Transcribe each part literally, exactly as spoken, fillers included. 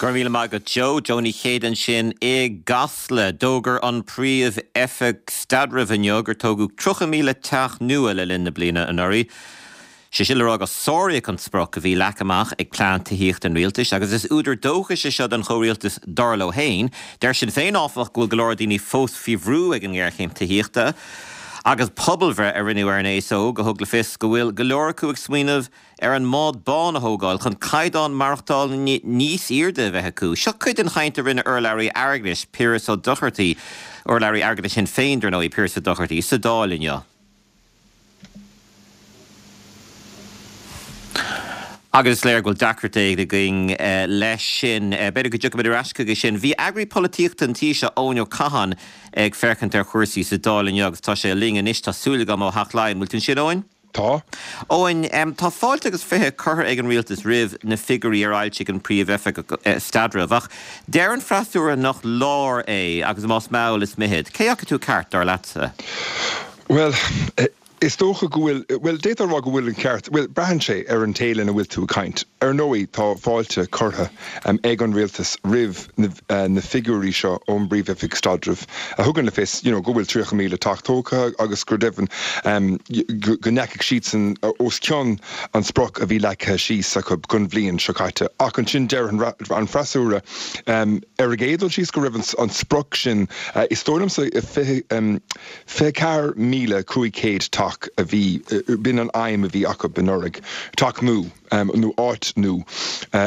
Go raibh míle maith agat Joe, Joe Ní Chéide ansin i gCasla. D'fhógair an Príomh-Oifig Staidrimh inniu gur tógadh tríocha míle teach nua le linn na bliana anuraidh. Sé sin le rá gur sáraíodh an sprioc a bhí leagtha amach ag plean tithíochta an rialtais agus is údar dóchais é seo don chomhrialtas dar leo féin. Deir Sinn Féin áfach go bhfuil go leor daoine fós faoi bhrú ag an ngéarchéim tithíochta agus pobalbhreith a rinneadh ar an aos óg a thug le fios go bhfuil go leor acu ag smaoineamh ar an mbád bán a thógáil chun caighdeán maireachtála níos airde a bheith acu. Seo cuid den chaint a rinne urlabhraí airgeadais Piaras Ó Dochartaí, urlabhraí airgeadais Shinn Féin dar ndóigh Piaras Ó Dochartaí sa Dáil inniu. Agus is léir go bhfuil deacracht éigin againn leis sin. B'fhéidir go dtiocfaimid ar ais chuige sin. Bhí eagraí polaitíochta an tí seo, Eoin Ó Catháin, ag féachaint ar chúrsaí sa Dáil inniu agus tá sé linn anois, tá súil agam, ó Theach Laighean. Bhfuil tú ansin, Eoin? Tá. Eoin, tá fáilte agus fiche curtha ag an rialtas roimh na figiúirí ar fhoilsigh an Príomh-Oifigeach Staidrimh, ach deir an freasúra nach leor é agus más mall is mithid. Cé acu atá ceart, dar leatsa? Bhuel, is dócha go bhfuil, bhuel, d'fhéadfá a rá go bhfuil an ceart, bhuel, braitheann sé ar an té lena bhfuil tú ag caint. Ar ndóigh, tá fáilte curtha ag an rialtas roimh na figiúirí seo ón bPríomh-Oifig Staidrimh a thugann le fios you know go bhfuil tríocha míle teach tógtha agus gur deimhin go ndeachaigh siadsan os cionn an sprioc a bhí leagtha síos acu don bhliain seo caite. Ach ansin deir an freasúra ar an gcéad dul síos go raibh an sprioc sin, is dóigh liomsa, fiche, fiche ceathair míle cúig chéad teach a bhí, b'in an aidhm a bhí acu anuraidh, teach nua nó áit nua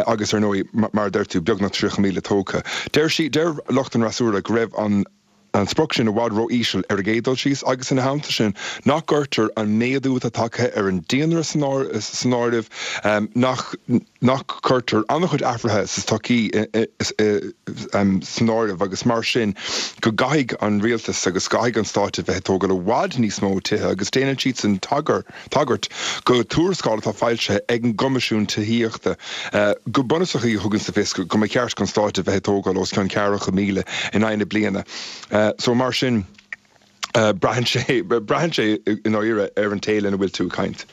agus ar ndóigh, mar a deir tú, beagnach tríocha míle tógtha. Deir sí, deir lucht an fhreasúra go raibh an an sprioc sin i bhfad ró-íseal ar an gcéad dul síos agus ina theannta sin nach gcuirtear an méadú atá tagtha ar an daonra san áireamh, nach nach gcuirtear an-chuid athruithe sa tsochaí san áireamh agus mar sin go gcaithfidh an rialtas agus caithfidh an stát a bheith ag tógáil i bhfad níos mó tithe agus déanann siadsan tagairt go tuarascáil atá foilsithe ag an gCoimisiún Tithíochta go bunúsach a thugann le fios go mba cheart don stát a bheith ag tógáil os cionn ceathracha míle in aghaidh na bliana. So mar sin braitheann sé, braitheann sé i ndáiríre ar an té lena bhfuil tú ag caint.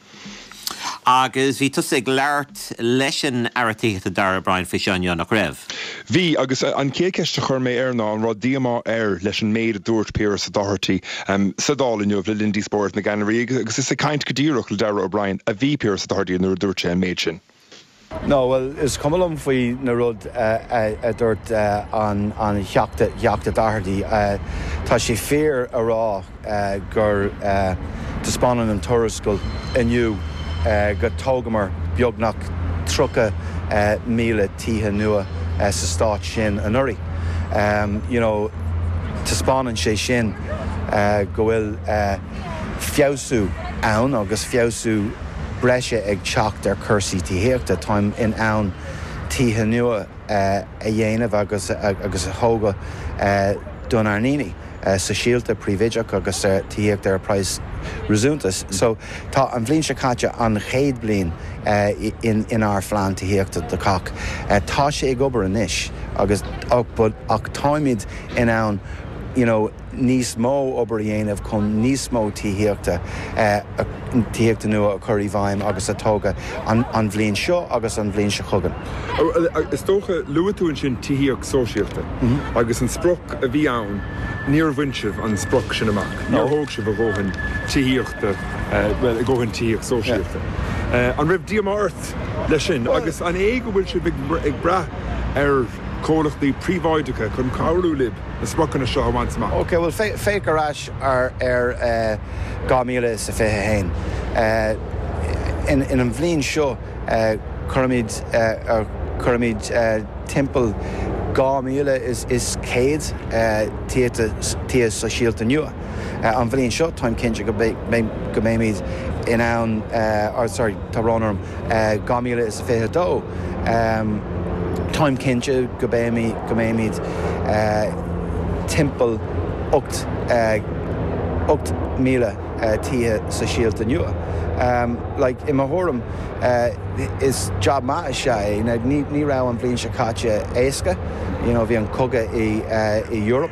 Agus bhí tusa ag labhairt leis an Aire Tithíochta Darragh O'Brien faoi seo inniu, nach raibh? Bhí, agus an chéad cheist a chuir mé air ná an raibh díomá air leis an méid a dúirt Piaras Ó Dochartaí sa Dáil inniu le linn díospóireacht na gceannairí agus is ag caint go díreach le Darragh O'Brien a bhí Piaras Ó Dochartaí nuair a dúirt sé an méid sin. No, bhuel, is cuma liom faoi na rud a dúirt an Theachta Doherty. Tá sé fíor a rá gur taispeánann an tuarascáil inniu go tógamar beagnach tríocha míle tithe nua sa stát sin anuraidh. You know, taispeánann sé sin go bhfuil feabhsú ann agus feabhsú breise ag teacht ar chúrsaí tithíochta. Táim in ann tithe nua a dhéanamh agus agus a thógáil don ár ndaoine sóisialta, príobháideach agus tithíocht ar praghas réasúnta. So tá an bhliain seo caite an chéad bliain in inár phlean tithíochta do chách. Tá sé ag obair anois agus ach táimid in ann you know, níos mó obair a dhéanamh chun níos mó tithíochta, tithíochta nua a chur i bhfeidhm agus a tógadh an bhliain seo agus an bhliain seo chugainn. Is dócha, luaigh tú ansin tithíocht sóisialta agus an sprioc a bhí ann, níor bhain sibh an sprioc sin amach, níor thóg sibh a dhóthain tithíochta, bhuel, a dhóthain tithíocht sóisialta. An raibh díomá ort leis sin agus an é go bhfuil sibh ag brath ar chomhlachtaí príobháideacha chun cabhrú libh na spriocanna seo a bhaint amach? Ok, bhuel, féach ar ais ar dhá mhíle is a fiche a haon. In an bhliain seo, cuirimid, cuirimid timpeall dhá mhíle is céad tithe sóisialta nua. An bhliain seo, táim cinnte go mbeimid in ann, or sorry, tá brón orm, dhá mhíle is a fiche a dó, táim cinnte go mbeimid timpeall ocht ocht míle tithe sóisialta nua. Like, i mo thuairim, is job maith is ea é. Ní raibh an bhliain seo caite éasca, you know, bhí an cogadh i Europe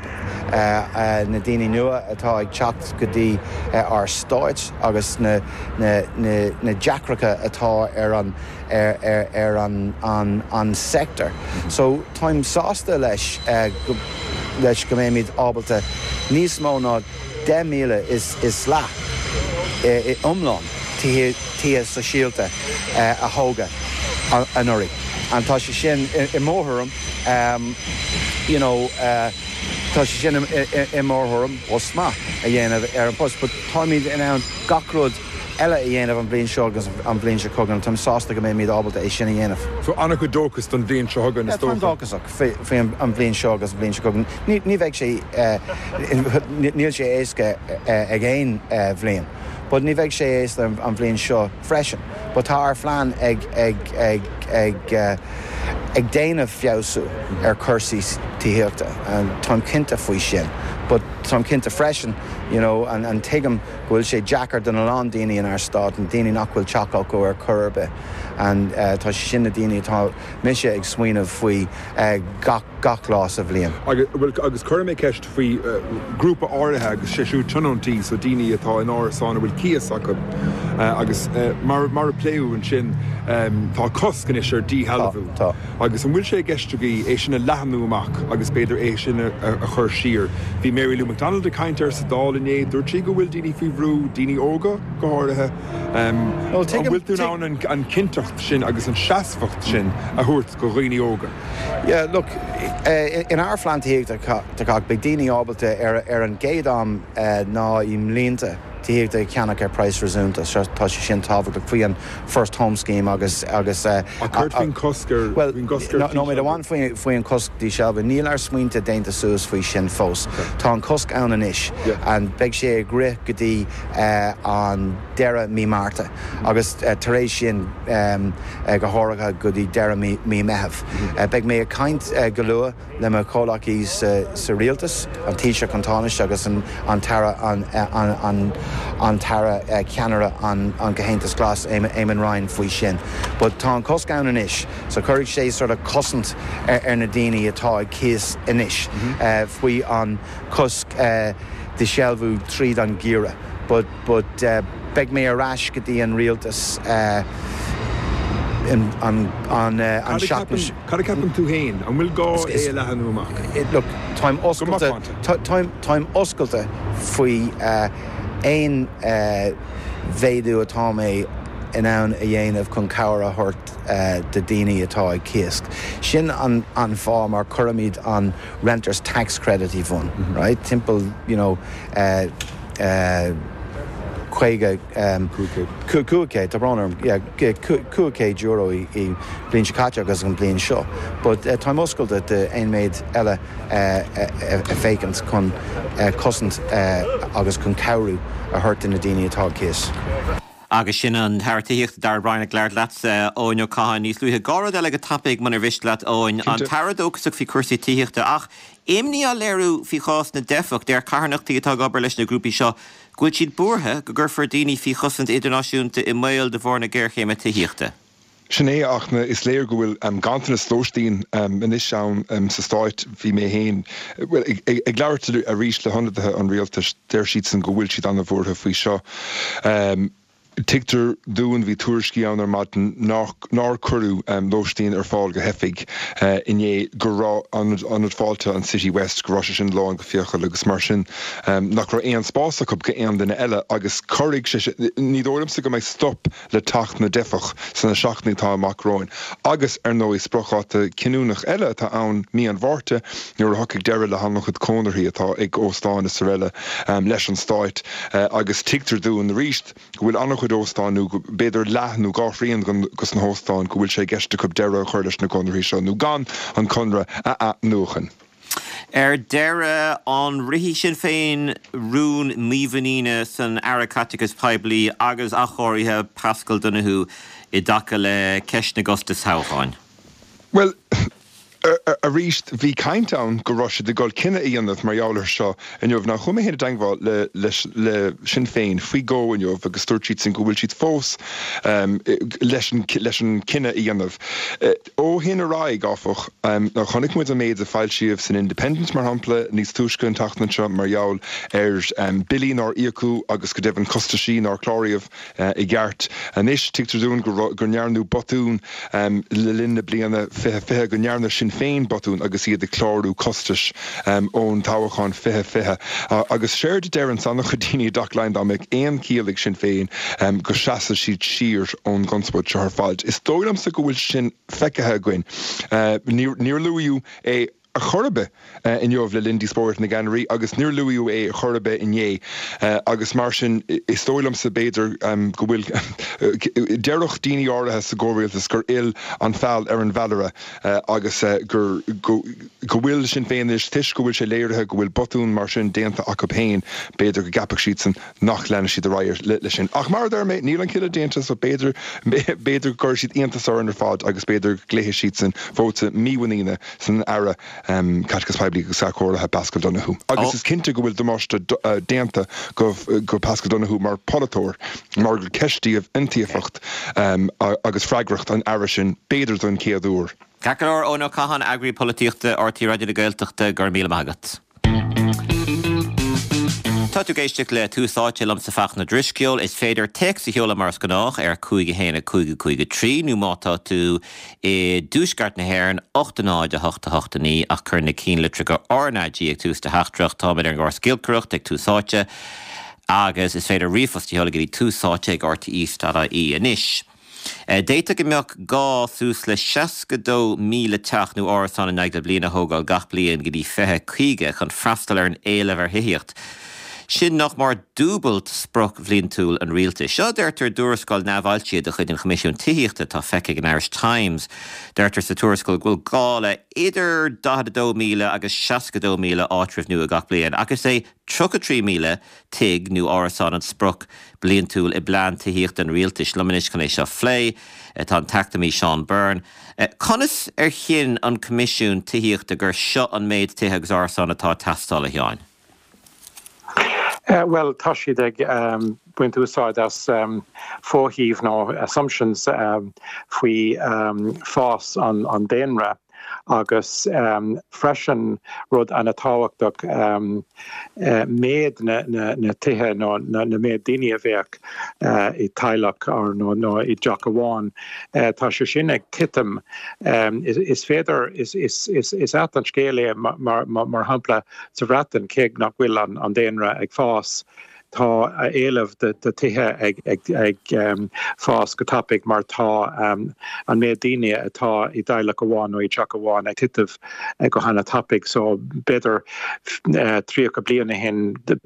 na daoine nua atá ag teacht go dtí ár stáit agus na na na na deacrachtaí atá ar an ar ar ar an an an sector. So táim sásta leis go leis go mbeimid ábalta níos mó ná deich míle is is leath iomlán tithe sóisialta a thógáil anuraidh. An tá sé sin i mo thuairim you know tá sé sin i mo thuairim post maith a dhéanamh ar an post, but táimid in ann gach rud eile a dhéanamh an bhliain seo agus an bhliain seo chugainn, táim sásta go mbeimid ábalta é sin a dhéanamh. So an-chuid dóchas don bhliain seo chugainn is dócha? Táim dóchasach faoi an bhliain seo agus an bhliain seo chugainn. Ní bheidh sé níl sé éasca ag aon bhliain. But ní bheidh sé éasca an bhliain seo freisin. But tá ár phlean ag ag ag ag ag déanamh feabhsú ar cúrsaí tithíochta. Táim cinnte faoi sin. But táim cinnte freisin you know, an, an tuigim go bhfuil sé deacair don a lán daoine inár stát an daoine nach bhfuil teach acu ar chor ar bith. And uh, tá sé sin na daoine atá mise ag smaoineamh faoi uh, gach, gach lá sa bhliain. Agus, well, agus cuirfidh mé ceist faoi uh, grúpa áirithe agus sé siúd tionóntaí so daoine atá in árasáin a bhfuil cíos acu uh, agus uh, mar, mar a pléadh ansin um, tá cosc anois ar díshealbhú. Tá, tá. Agus an bhfuil sé i gceist agaibh é sin a leathnú amach agus b'fhéidir é sin a, a, a chur siar. Bhí Mary Lou McDonald ag caint air sa Dáil inné, dúirt sí go bhfuil daoine faoi bhrú, daoine óga go háirithe. Um, Well, an tuigim- bhfuil tú in ann an, an cinnteacht sin agus an seasmhacht sin a thabhairt do dhaoine óga. Yeah, look, uh, in ár phlean tithíochta do chách beidh daoine ábalta ar, ar an gcéad am uh, ná i mblianta tithíochta a cheannach ar praghas réasúnta, so tá sé sin tábhachtach faoi an First Home Scheme agus agus uh, A cur faoin cosc ar Well, faoin gcosc ar no, no, amháin faoi faoi an cosc díshealbhú, níl ár smaointe déanta suas faoi sin fós. Tá an cosc ann anois Yeah. an beidh sé ag rith go dtí uh, an deireadh mí Márta agus uh, tar éis sin um, uh, go háirithe go dtí deireadh mí, mí Meitheamh. Uh, beidh mé ag caint uh, go luath le mo chomhghleacaí sa, sa rialtas, an Taoiseach an Tánaiste agus an, an tAire an, an, an, an tAire uh, ceannaire an, an Comhaontas Glas Eamon Ryan faoi sin. But tá an cosc ann anois, so cuirfidh sé sort of cosaint ar, ar na daoine atá ag cíos anois mm -hmm. uh, faoi an cosc uh, díshealbhú tríd an ngeimhreadh. But, but uh, beidh mé ar ais go dtí an rialtas uh, in, an, an, uh, an seachtain Cad a cheapann tú féin, an bhfuil gá é a leathnú amach. It, look, táim oscailte táim táim oscailte faoi uh, aon uh, mhéadú atá mé in ann a dhéanamh chun cabhair a thabhairt uh, do daoine atá ag cíos. Sin an, an fáth mar chuirimid an renters tax credit i bhun, mm -hmm. right? Timpeall you know, uh, uh, caoga um, cúig tá brón cúig euro i bliain seo caite agus an bliain seo. But uh, táim oscailte d'aon méid eile uh, a féchan chun uh, cosaint uh, agus chun cabhrú a thabhairt na daoine atá cíos. Agus sin an tAire Tithíochta Darragh O'Brien ag labhairt leat Eoin Ó Catháin níos luaithe dhá rud eile go tapaidh munar mhiste leat Eoin an tAire dóchasach faoi chúrsaí tithíochta ach imní á léiriú faoi chás na dteifeach deir carthanachtaí atá ag obair leis na grúpaí seo go bhfuil siad buartha go gcuirfear daoine faoi chosaint idirnáisiúnta i mbaol de bharr na géarchéime tithíochta. Sin é ach na is léir go bhfuil um, ganntanas lóistín um, anois ann um, sa stáit bhí mé féin well, ag, ag, ag labhairt arís le hionadaithe an rialtais deir siad san go bhfuil siad an-bhuartha faoi seo. Um, Tuigtear dúinn bhí tuairiscí ann ar maidin nár cuireadh um, lóistín ar fáil do theifigh uh, inné go raibh an ionad fáilte an City West go raibh sé sin lán go fiacail agus mar sin um, nach raibh aon spás acu go aon duine eile agus cuirfidh sé ní dóigh liomsa go mbeidh stop le teacht na dteifeach sna seachtainí atá amach romhainn. Agus ar ndóigh spriocdháta cinniúnach eile atá ann mí an Mhárta nuair a thiocfaidh deireadh le han-chuid conarthaí atá ag óstáin is araile um, leis an stáit uh, agus tuigtear dúinn arís go bhfuil an-chuid óstán nó b'fhéidir leath nó dhá thrian de na hóstáin go bhfuil sé i gceist acu deireadh a chur leis na conarthaí seo nó gan an conradh a athnuachan. Ar deireadh an rithfidh Sinn Féin rún mímhuiníne san Aire Caiteachais Poiblí agus Athchóirithe Paschal Donohoe i dtaca le ceist na gcostas toghcháin. Well, Arís, bhí caint ann go raibh siad ag dul cinneadh a dhéanamh mar gheall air seo inniu. Now chuaigh mé féin i dteagmháil le leis le Sinn Féin faoi dhó inniu agus dúirt siadsan go bhfuil siad fós leis an leis an cinneadh a dhéanamh. Ó shin ar aghaidh, áfach, now chonaic muid an méid a foilsíodh san Independent, mar shampla, níos túisce an tseachtain seo mar gheall ar billí nár íocadh agus go deimhin costaisí nár cláraíodh i gceart. Anois tuigtear dúinn go go ndearnadh botún le linn na bliana fiche fiche, go ndearna Sinn Féin botún agus iad ag clárú costais ón toghchán fiche fiche. Agus séard a deireann an-chuid daoine i dTeach Laighean, dá mbeadh aon chiall ag Sinn Féin, go seasfadh siad siar ón gconspóid seo ar fad. Is dóigh liomsa go bhfuil sin feicthe againn. Níor luaíodh é ar chor ar bith inniu le linn díospóireacht na gceannairí agus níor luaíodh é ar chor ar bith inné agus mar sin is dóigh liomsa b'fhéidir go bhfuil déarfadh daoine áirithe sa gcomhrialtas gur fhill an feall ar an bhfeallaire agus gur go bhfuil Sinn Féin anois toisc go bhfuil sé léirithe go bhfuil botún mar sin déanta acu féin b'fhéidir go gceapfadh siadsan nach leanfaidh siad ar aghaidh leis sin. Ach mar a deir mé níl an cinneadh déanta so b'fhéidir b'fhéidir go gcuirfidh siad iontas orainn ar fad agus b'fhéidir go gcloífidh siadsan vóta mímhuiníne san Aire Caiteachais Poiblí agus Athchóirithe Paschal Donohoe. Agus is cinnte go bhfuil damáiste déanta go go Paschal Donohoe mar pholaiteoir mar gur ceistíodh iontaofacht agus freagracht an Aire sin b'fhéidir don chéad uair. Ceart go leor, Eoin Ó Catháin, Eagraí Polaitíochta R T É Raidió na Gaeltachta, go raibh míle maith agat. Tá tú ag éisteacht le Tús Áite liomsa Fachtna Drisceoil. Is féidir téacs a sheoladh mar is gnách ar cúig a haon a cúig a cúig a trí nó má tá tú i dtuaisceart na hÉireann ocht a náid a hocht a hocht a naoi ach cuir na cinnlitreacha R N A G ag tús do theachtaireacht. Táimid ar an gcóras giolcaireacht ag Tús Áite agus is féidir ríomhphost a sheoladh go dtí túsáite ag R T E ponc I E anois. D'fhéadfadh go mbeadh gá suas le seasca dó míle teach nó árasán in aghaidh na bliana a thógáil gach bliain go dtí fiche caoga chun freastal ar an éileamh ar thithíocht. Sin nach mór dúbailt sprioc bhliantúil an rialtais. Seo deirtear i dtuarascáil neamhfhoilsithe de chuid an Choimisiúin Tithíochta atá feicthe ag an Irish Times. Deirtear sa tuarascáil go bhfuil gá le idir daichead a dó míle agus seasca dó míle áitreabh nua gach bliain, ach is é tríocha trí míle tigh nó árasán an sprioc bliantúil i bplean tithíochta an rialtais. Liom anois chun é seo a phlé tá an t-eacnamaí Seán Byrne. Conas ar chinn an Coimisiún Tithíochta gur seo an méid tithe agus árasán atá ag teastáil, a Sheáin? Uh, well, tá siad ag um, baint úsáid as um, foshuímh nó assumptions um, faoi um, fás an, an daonra agus um, freisin rud an-tábhachtach um, uh, méid na, na, na tithe nó na, na méid daoine a bheadh uh, i teaghlach nó, nó i dteach amháin. Uh, tá sé sin ag titim um, is, is féidir is, is, is, is ait an scéal é mar, mar, mar shampla sa Bhreatain cé nach bhfuil an, an daonra ag fás. Tá éileamh de, de tithe ag, ag, ag um, fás go tapaidh mar tá um, an méid daoine atá i dteaghlach amháin nó i dteach amháin ag titim go han-tapaidh, so b'fhéidir uh, tríocha bliain ó shin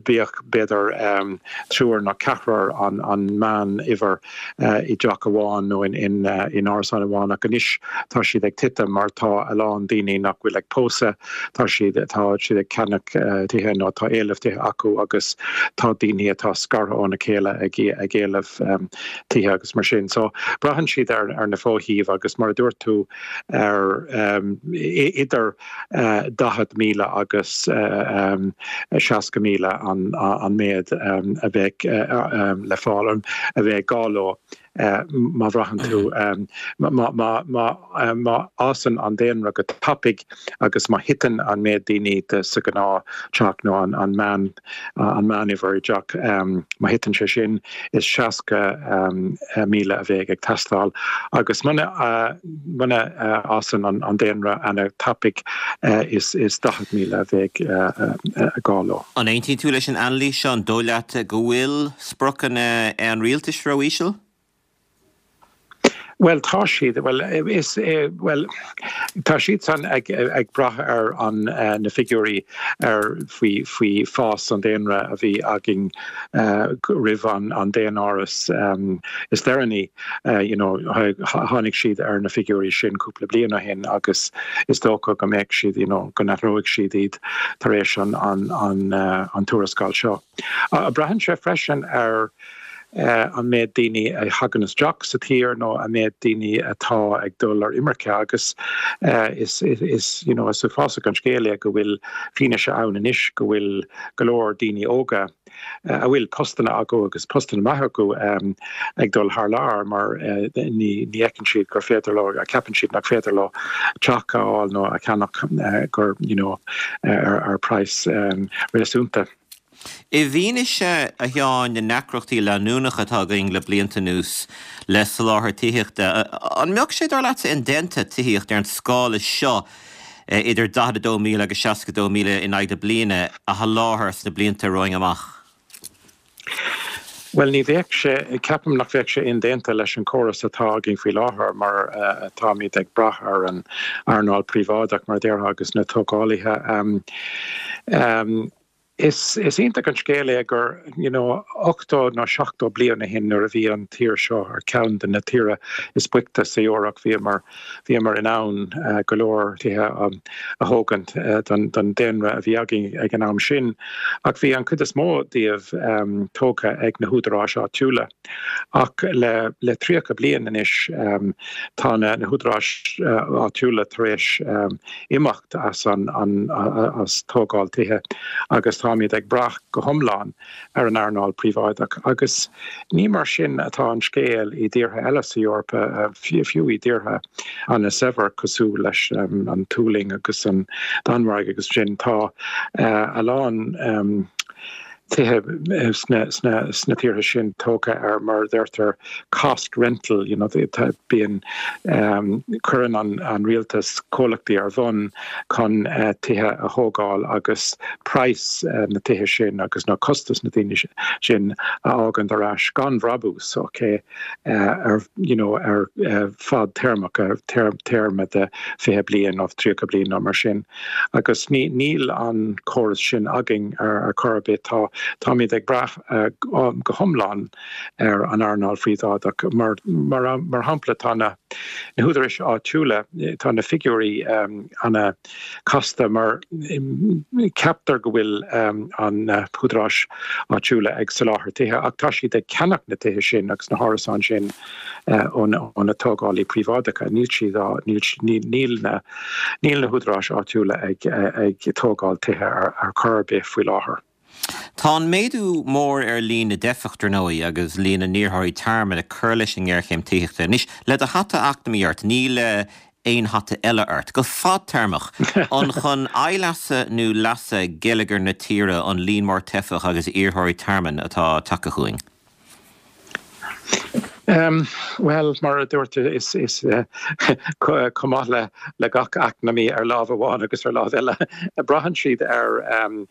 bhíodh b'fhéidir um, triúr nó ceathrar an, an meánuimhir uh, i dteach amháin nó in, in, uh, in árasán amháin ach anois tá siad ag titim mar tá a lán daoine nach bhfuil ag pósadh tá siad tá siad ag ceannach uh, tithe nó tá éileamh tithe acu agus tá daoine atá scartha óna chéile ag ag éileamh um, tithe agus mar sin. So braitheann siad ar, ar na foshuímh agus mar a dúirt tú ar um, idir uh, daichead míle agus uh, um, seasca míle an, an méid um, a bheadh uh, um, le fáil a bheadh gá leo. Uh, má bhraitheann tú um, má má fhásann an daonra go tapaidh agus má thiteann an méid daoine de sa ghnáth-teach nó an, an meán an meánuimhir i dteach um, má thiteann sé sin is seasca um, míle a bheidh ag teastáil agus muna uh, muna uh, fhásann an, an daonra an-tapaidh uh, is, is daichead míle a bheidh uh, uh, gá leo. An aontaíonn tú leis an anailís seo an dóigh leat go bhfuil spriocanna an rialtais ró-íseal? Well tá siad well is eh, well tá siad san ag, ag brath ar an uh, na figiúirí ar faoi faoi fás an daonra a bhí againn uh, roimh an an daonáireamh um, is deireanaí uh, you know tháinig siad ar na figiúirí sin cúpla bliain ó shin agus is dócha go mbeidh siad you know, go n-athróidh siad iad tar éis an an an, uh, an tuarascáil seo. Uh, braitheann sé freisin ar an méid daoine a thagann isteach sa tír nó an méid daoine atá ag dul ar imirce agus is is you know is uafásach an scéal é go bhfuil fianaise ann anois go bhfuil go leor daoine óga a bhfuil postanna acu agus postanna maithe acu ag dul thar lear mar ní ní fheiceann siad gur féidir leo ceapann siad nach féidir leo teach a fháil nó a cheannach gur you know ar ar praghas réasúnta. I bhfianaise a Sheáin na ndeacrachtaí leanúnacha atá againn le blianta anuas le soláthar tithíochta, an mbeadh sé dar leatsa indéanta tithíocht ar an scála seo idir daichead a dó míle agus seasca dó míle in aghaidh na bliana a sholáthar sna blianta romhainn amach? Bhuel ní bheadh sé, ceapaim nach bheadh sé indéanta leis an córas atá againn faoi láthair mar táimid ag brath ar an earnáil príobháideach mar a déarfá agus na tógálaithe. Is is iontach an scéal é gur you know ochtó nó seachtó bliain ó shin nuair a bhí an tír seo ar ceann de na tíortha is boichte sa Eoraip bhíomar bhíomar in ann go leor tithe a thógaint don don daonra a bhí againn ag an am sin ach bhí an chuid is mó díobh tógtha ag na húdaráis áitiúla. Ach le le tríocha bliain anois tá na na húdaráis áitiúla tar éis imeacht as an an as tógáil tithe agus táimid ag brath go hiomlán ar an earnáil príobháideach agus ní mar sin atá an scéal i dtíortha eile sa Eoraip, fiú i dtíortha an-saibhir cosúil leis an tSualainn agus an Danmhairg agus sin tá a lán tithe sna sna sna tíortha sin tógtha ar mar a deirtear cost rental you know bíonn cuireann an an rialtas comhlachtaí ar bun chun tithe a thógáil agus praghas na tithe sin agus na costas na daoine sin a fhágaint ar ais gan bhrabús ok ar you know ar fadtéarmach ar téarma de fiche bliain nó tríocha bliain nó mar sin agus ní níl an córas sin againn ar ar chor ar bith tá táimid ag brath go hiomlán ar an earnáil phríobháideach mar mar mar shampla tá na na húdaráis áitiúla tá na figiúirí ana casta mar ceaptar go bhfuil an húdaráis áitiúla ag soláthar tithe ach tá siad ag ceannach na tithe sin agus na hárasáin sin ó na tógálaí príobháideacha níl siad á níl níl na níl na húdaráis áitiúla ag ag tógáil tithe ar ar chor ar bith faoi láthair. Tá an méadú mór ar líon na dteifeach dar ndóigh agus líon na n-iarrthóirí tearmainn ag cur leis an ngéarchéim tithíochta. Anois, le do hata eacnamaí ort, ní le aon hata eile ort, go fadtéarmach, an chun leasa nó leasa geilleagar na tíre an líon mór teifeach agus iarrthóirí tearmainn atá tagtha chugainn? Um, well mar a dúirt is is uh, chomh maith le le gach eacnamaí ar lámh amháin agus ar lámh eile braitheann siad ar um,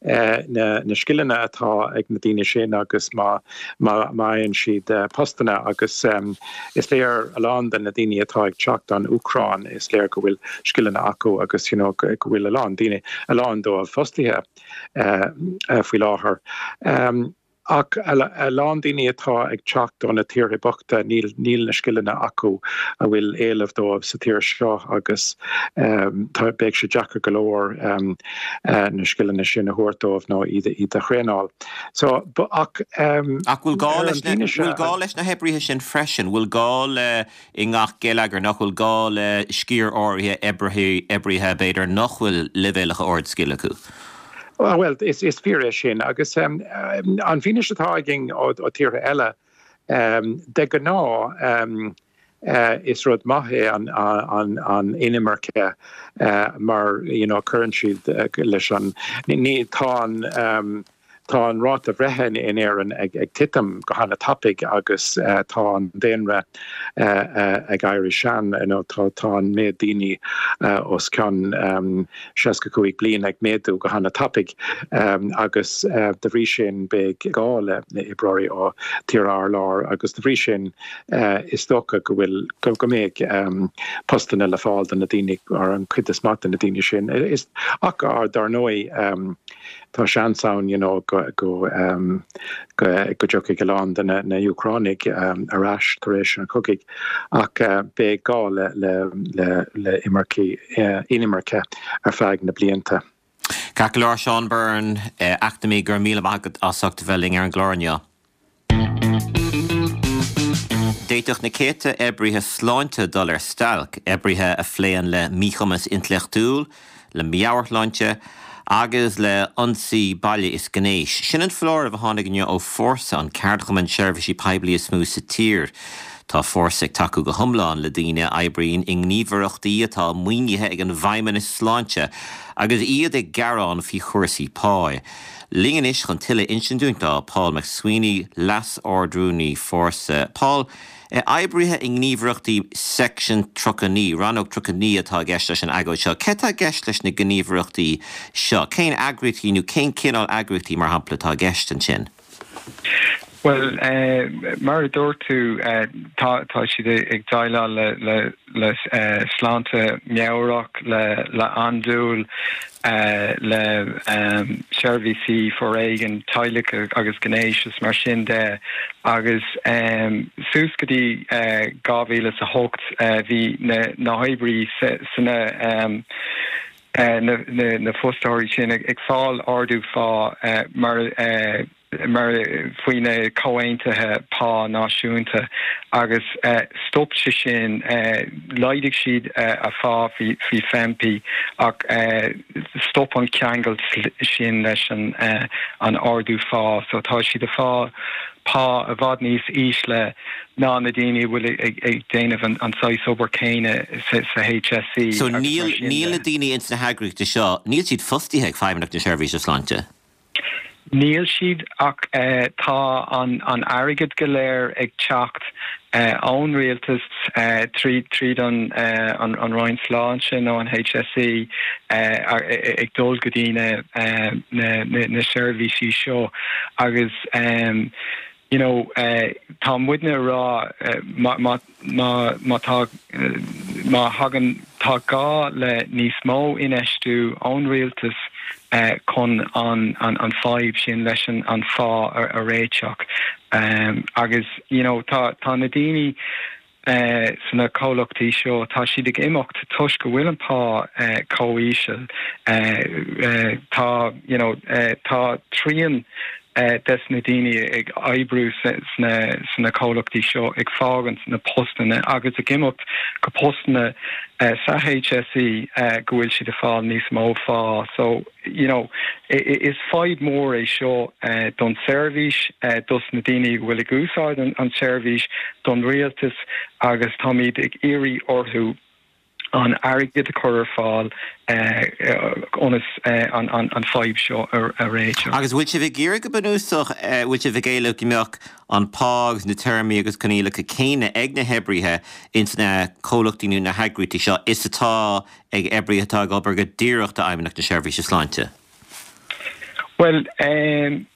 Uh, na, na scileanna atá ag na daoine sin agus má má fhaigheann siad uh, postanna agus um, is léir a lán de na daoine atá ag teacht ón Úcráin is léir go bhfuil scileanna acu agus you know, go bhfuil a lán daoine a lán dóibh fostaithe uh, uh, faoi láthair. Um, ach a lán daoine atá ag teacht ó na tíortha bochta níl níl na scileanna acu a bhfuil éileamh dóibh sa tír seo agus um, tá beidh sé deacair go leor um, uh, na scileanna sin a thabhairt dóibh nó iad iad a thraenáil. So ach um, ach bhfuil gá leis na bhfuil gá leis na hoibrithe sin freisin, bhfuil gá le i ngach geilleagar nach bhfuil gá le sciar áirithe oibrithe oibrithe b'fhéidir nach bhfuil leibhéalacha ard scil acu. Well, is, is fíor é sin agus um, an fhianaise atá againn ó, ó tíortha eile um, de ghnáth um, uh, is rud maith é an, an, an inimirce uh, mar you know, cuireann siad uh, leis an ní tá an um, Tá an ráta breithe in Éirinn ag, ag titim go han-tapaidh agus uh, tá an daonra uh, uh, ag éirí sean you know, tá tá an méid daoine uh, os cionn um, seasca cúig bliain ag méadú go han-tapaidh um, agus uh, de bhrí sin beidh gá le na oibreoirí ó tíortha thar lear agus de bhrí sin uh, is dócha go bhfuil go go mbeidh um, postanna le fáil do na daoine ar an chuid is mó de na daoine sin is ach ar dar ndóigh um, tá seans ann you know, go go um, go go dtiocfaidh a lán de na, na Úcránaigh um, ar ais tar éis an chogaidh ach uh, beidh gá le le le le imirce uh, inimirce ar feadh na blianta. Ceart go leor Seán Byrne eh, eacnamaí go raibh míle maith agat as ucht a bheith linn ar an gclár inniu. D'fhéadfadh na céadta oibrithe sláinte dul ar stailc, oibrithe a phléann le míchumas intleachtúil, le meabhairshláinte agus le ionsaí baile is gnéis. Sin an foláireamh a tháinig inniu ó Fórsa an ceardchumann seirbhísí poiblí is mó sa tír. Tá Fórsa ag tacú go hiomlán le daoine a oibríonn i ngníomhaireachtaí atá maoinithe ag an bhFeidhmeannas Sláinte agus iad ag gearán faoi chúrsaí pá. Linn anois chun tuilleadh a insint dúinn tá Paul McSweeney Leas-Ardrúnaí Fórsa. Paul, oibrithe i ngníomhaireachtaí Section tríocha naoi, rannóg tríocha naoi atá i gceist leis an agóid seo. Cé tá i gceist leis na gníomhaireachtaí seo? Cén eagraíochtaí nó cén cineál eagraíochtaí mar shampla atá i gceist ansin? Well uh, mar a dúirt tú uh, tá tá siad ag déileáil le le le uh, sláinte meabhrach le le andúil uh, le um, seirbhísí foréigin teaghlaigh agus gnéis is mar sin de agus um, suas go dtí uh, dhá mhíle a hocht uh, bhí na, na hoibrithe sna um, uh, na, na, na fostóirí sin ag, ag fáil ardú phá uh, mar uh, mar faoi na comhaontuithe pá náisiúnta agus uh, stop sé sin uh, laghdaigh siad uh, a phá faoi faoi FEMPI ach uh, stop an ceangal sin leis an uh, an ardú phá so tá siad ag fáil pá i bhfad níos ísle ná na daoine bhfuil ag, ag déanamh an, an saghas obair céanna sa, sa HSE. So níl níl na daoine ins na heagraíochtaí seo, níl siad fostaithe ag Feidhmeannacht na Seirbhíse Sláinte. Níl siad ach uh, tá an, an airgead go léir ag teacht uh, ón rialtas uh, trí tríd an, uh, an, an Roinn Sláinte nó an HSE uh, ag dul go dtí na, uh, na, na, na seirbhísí seo agus um, you know uh, tá muidne rá uh, má má má má tá uh, má thagann tá gá le níos mó infheistiú ón rialtas uh, chun an an an fadhb sin leis an an phá a, a réiteach um, agus you know tá tá na daoine uh, sna comhlachtaí seo tá siad ag imeacht toisc go bhfuil an pá uh, chomh híseal uh, uh, tá you know uh, tá trian uh, des na daoine ag oibriú sna sna comhlachtaí seo ag fágaint na postanna agus ag imeacht go postanna uh, sa HSE uh, go bhfuil siad ag fáil níos mó phá so you know is fadhb mór é seo uh, don seirbhís uh, dos na daoine bhfuil ag úsáid an, an seirbhís don rialtas agus táimid ag iarraidh orthu an airgead a chur ar fáil ionas an, an, an fadhb seo a, a réiteach. Agus bhfuil sibh ag iarraidh go bunúsach bhfuil sibh ag éileamh go mbeadh an pá agus na téarmaí agus coinníollacha céanna ag na hoibrithe ins na comhlachtaí nó na heagraíochtaí seo is atá ag oibrithe atá ag obair go díreach d'Fheidhmeannacht na Seirbhíse Sláinte. Well um,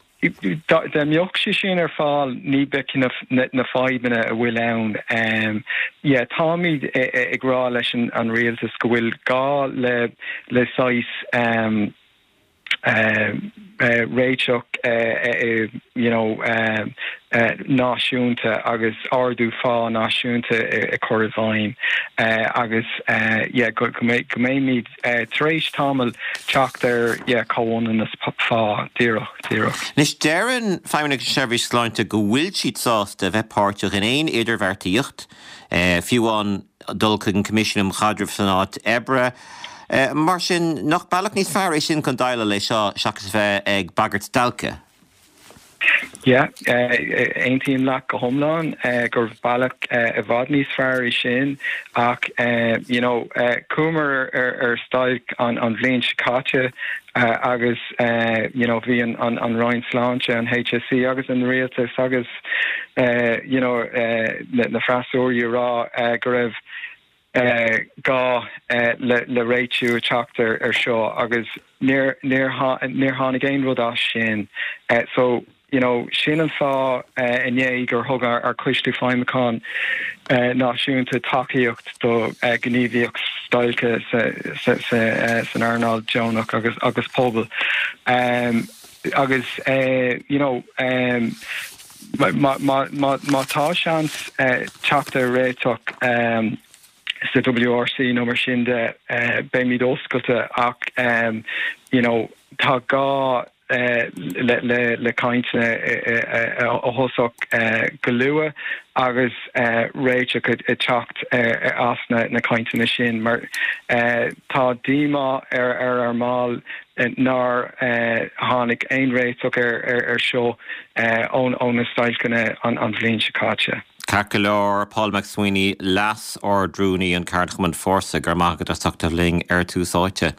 dá mbeadh sé sin ar fáil ní bheadh na, na, na fadhbanna a bhfuil ann. Um, yeah, táimid ag rá leis an, an rialtas go bhfuil gá le le saghas um, uh, uh, réiteach uh, uh, you know uh, uh, náisiúnta agus ardú phá náisiúnta a chur i bhfeidhm uh, agus uh, yeah, go go mbeimid uh, tar éis tamall teacht ar yeah, comhionannas phá díreach díreach. Anois deireann Feidhmeannacht Seirbhís Sláinte go bhfuil siad sásta bheith páirteach in aon idirbheartaíocht, uh, fiú an dul chuig an Coimisiún um Chaidreamh san Áit Oibre. Uh, mar sin nach bealach níos fearr é sin chun déileáil le seo seachas bheith ag bagairt stailce. Ja, aontaím leat go hiomlán uh, gur bealach uh, i bhfad níos fearr é sin ach uh, you know, uh, chuamar ar, ar stailc an, an bhliain seo caite uh, agus uh, you know, bhí an, an, an Roinn Sláinte an HSE agus an rialtas agus uh, you know, uh, na, na freasúra rá uh, go raibh uh, gá uh, le, le réitiú teacht ar ar seo agus níor tháinig aon rud as sin. Uh, so you know, sin an fáth uh, inné gur thug ár, ár coiste feidhmiúcháin uh, náisiúnta tacaíocht do uh, gníomhaíocht stailce sa, sa, sa, uh, san earnáil deonach agus agus pobal. Um, agus uh, you know, um, má, má, má, má tá seans uh, teacht ar réiteach um, sa WRC nó mar sin de uh, beimid oscailte ach um, you know, tá gá le le le cainteanna a thosach go luath agus réiteach ag teacht as na na cainteanna sin mar tá díomá ar ar ár mbaill nár tháinig aon réiteach ar ar ar seo ón ó na stailceanna an an bhliain seo caite. Ceart go leor Paul MacSwiney Leas-Ardrúnaí an Ceardchumann Fórsa go raibh maith agat as ucht a bheith linn ar Tús Áite.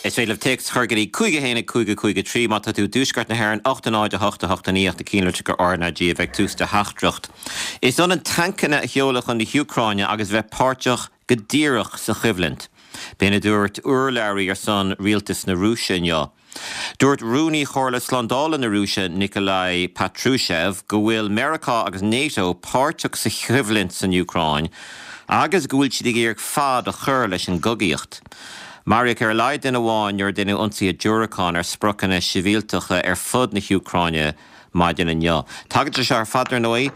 Is féidir libh téacs a chur go dtí cúig a haon cúig cúig trí má tá tú i dtuaisceart na hÉireann ocht a náid a hocht a hocht a naoi ach na cinnlitreacha R ná G a bheith tús do theachtaireacht. Is ionann tancanna a sheoladh chun na hÚcráine agus bheith páirteach go díreach sa choimhlint. B'in a dúirt urlabhraí ar son rialtas na Rúise inniu. Dúirt Rúnaí Chomhairle Slándála na Rúise Nikolai Patrushev go bhfuil Meiriceá agus NATO páirteach sa choimhlint san Úcráin agus go bhfuil siad ag iarraidh fad a chur leis an gcogaíocht. Maraíodh ar a laghad duine amháin nuair a deineadh ionsaithe diúracán ar spriocanna sibhialtacha ar fud na hÚcráine maidin inniu. Tagann sé seo ar fad ar ndóigh,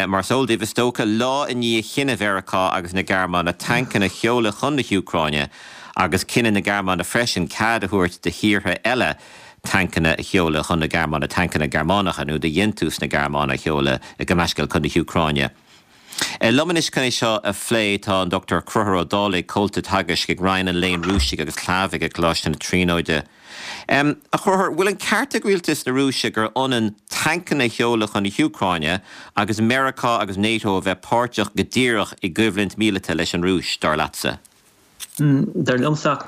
mar is eol daoibh is dócha, lá i ndiaidh chinneadh Mheiriceá agus na Gearmáine tancanna a sheoladh chun na hÚcráine agus cinneadh na Gearmáine freisin cead a thabhairt do thíortha eile tancanna a sheoladh chun na Gearmáine, tancanna Gearmánacha nó de dhéantús na Gearmáine a sheoladh gabh mo leithscéal chun na hÚcráine. Liom anois chun é seo a phlé tá an Dochtúir Conchúr Ó Dálaigh, Comhalta Teagaisc ag Roinn an Léinn Rúisigh agus Shlavaigh ag Coláiste na Tríonóide. A Chonchúir, bhfuil an ceart ag rialtas na Rúise gur ionann tancanna a sheoladh chun na hÚcráine agus Meiriceá agus NATO a bheith páirteach go díreach i gcoimhlint míleata leis an Rúis, dar leatsa? Dar liomsa,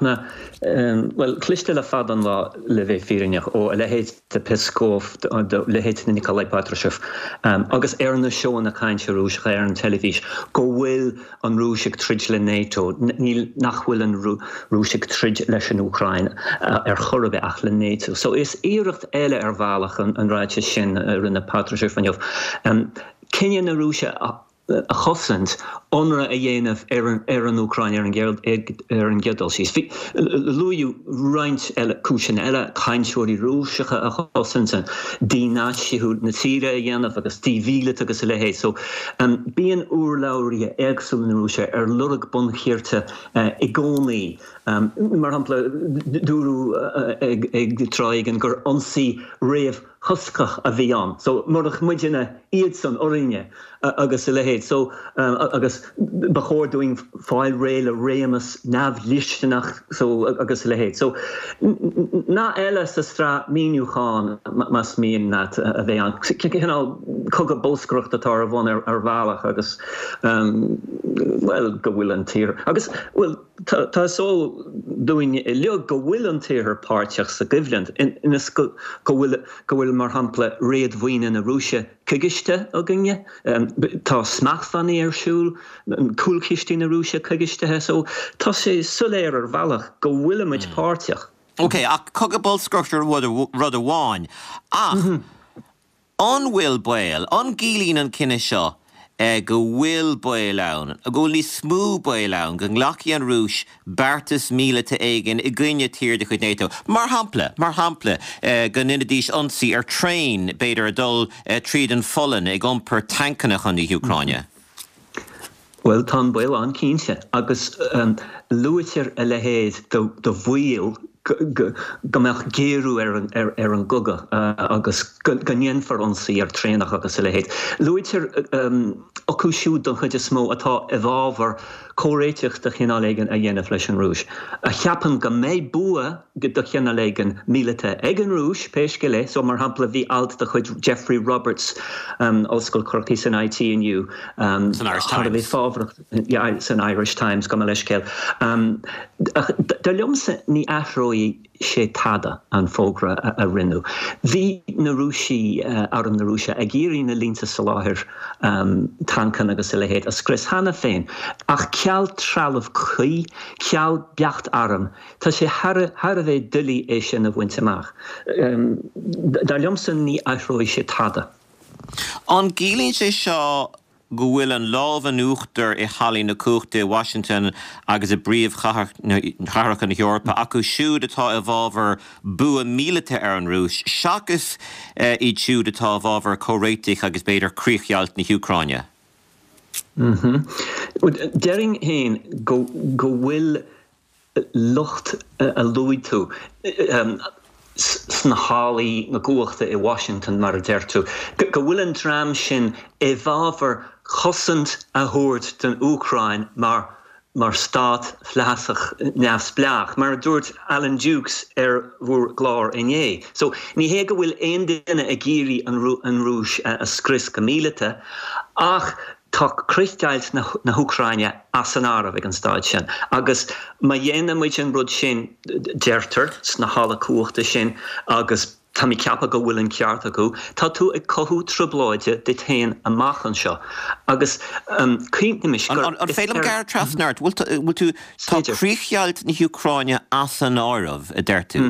bhuel, cloiste le fada an lá le bheith fírinneach, ó a leithéid de Peskov, de leithéid de Nikolai Patrushev, agus ar na seóanna cainte Rúiseacha ar an teilifís, go bhfuil an Rúis ag troid le NATO, níl, nach bhfuil an Rúis ag troid leis an Úcráin ar chor ar bith ach le NATO. So is iarracht eile ar bhealach an ráiteas sin a rinne Patrushev inniu. Cinneadh na Rúise a a chosaint, ionradh a dhéanamh ar an Úcráin ar an gcéad dul síos. Bhí, luaíodh roinnt eile, cúiseanna eile, cainteoirí Rúiseacha a chosaint, dí-Naitsithiú na tíre a dhéanamh agus dímhíleatú agus a leithéid. So, bíonn urlabhraithe éagsúla na Rúise ar lorg bonn cirt i gcónaí. Mar shampla, dúradh ag tráth éigin gur ionsaí réamhthoscach a bhí ann. So, murach muidne, iadsan orainne agus a leithéid. So, agus ba chóir dúinn fáil réidh le réimeas neamhdhlisteanach so agus a leithéid. So, nath eile sa tsraith míniúchán más mian leat a bheith ann. Cineál cogadh bolscaireachta atá ar bun ar bhealach agus, bhuel, go bhfuil an tír agus, bhuel, tá is eol dúinn uilig go bhfuil an tIarthar páirteach sa gcoimhlint, ionas go bhfuil, go bhfuil, mar shampla, réadmhaoine na Rúise coigistithe againne, tá smachtbhannaí ar siúl, cúlchistí na Rúise coigistithe, so tá sé soiléir ar bhealach go bhfuilimid páirteach. Ok, ach cogadh bolscaireachta rud amháin, ach an bhfuil baol, an gciallaíonn an cinneadh seo go bhfuil baol ann, go bhfuil níos mó baol ann go nglacfaidh an Rúis beartas míleata éigin i gcoinne tír de chuid NATO. Mar shampla, mar shampla, go ndéanfaidís ionsaí ar traein, b'fhéidir, ag dul tríd an Pholainn ag iompar tancanna chun na hÚcráine. Bhuel, tá an baol ann cinnte, agus luaitear a leithéid de bhaol go mbeadh géarú ar an gcogadh agus go ndéanfar ionsaí ar traenacha agus a leithéid. Luaitear acu siúd don chuid is mó atá i bhfabhar comhréiteach de chineál éigin a dhéanamh leis an Rúis, a cheapann go mbeidh bua de chineál éigin míleata ag an Rúis, pé scéal é. So, mar shampla, bhí alt de chuid Geoffrey Roberts, Ollscoil Chorcaí san I T inniu, San Irish thar a bheith Times. fábharach, san Irish Times, gabh mo leithscéal. Ach dar liomsa ní athróidh sé tada an fógra a rinneadh. Bhí na Rúisigh, arm na Rúise, ag iarraidh na línte soláthair tancanna agus a leithéid a scrios cheana féin, ach ceal trealamh cuí, ceal beacht arm, tá sé thar a bheith doiligh é sin a bhaint amach. Dar liomsa ní athróidh sé tada. An gciallaíonn sé seo go bhfuil an lámh in uachtar i hallaí na cumhachta i Washington agus i bpríomhchathracha na hEorpa acu siúd atá i bhfabhar bua míleata ar an Rúis seachas iad siúd atá i bhfabhar comhréitigh agus b'fhéidir críochdheighilt na hÚcráine? Déarfainn féin go bhfuil lucht a luaigh tú sna hallaí na cumhachta i Washington mar a deir tú, go bhfuil an dream sin i bhfabhar chosaint a thabhairt don Úcráin mar mar stát flathasach neamhspleách, mar a dúirt Alan Dukes ar bhur gclár inné. So ní hé go bhfuil aon duine ag iarraidh an Rúis a scrios go míleata, ach tá críochdheighilt na hÚcráine as an áireamh ag an staid sin. Agus má dhéanann muid an rud sin deirtear sna halla cumhachta sin agus tá mé ag ceapadh go bhfuil an ceart acu, tá tú ag cothú trioblóide duit féin amach anseo. Agus cuimhnímis gur. An féidir liom gearradh trasna ort? Bhfuil tú, tá críochdheighilt na hÚcráine as an áireamh, a deir tú.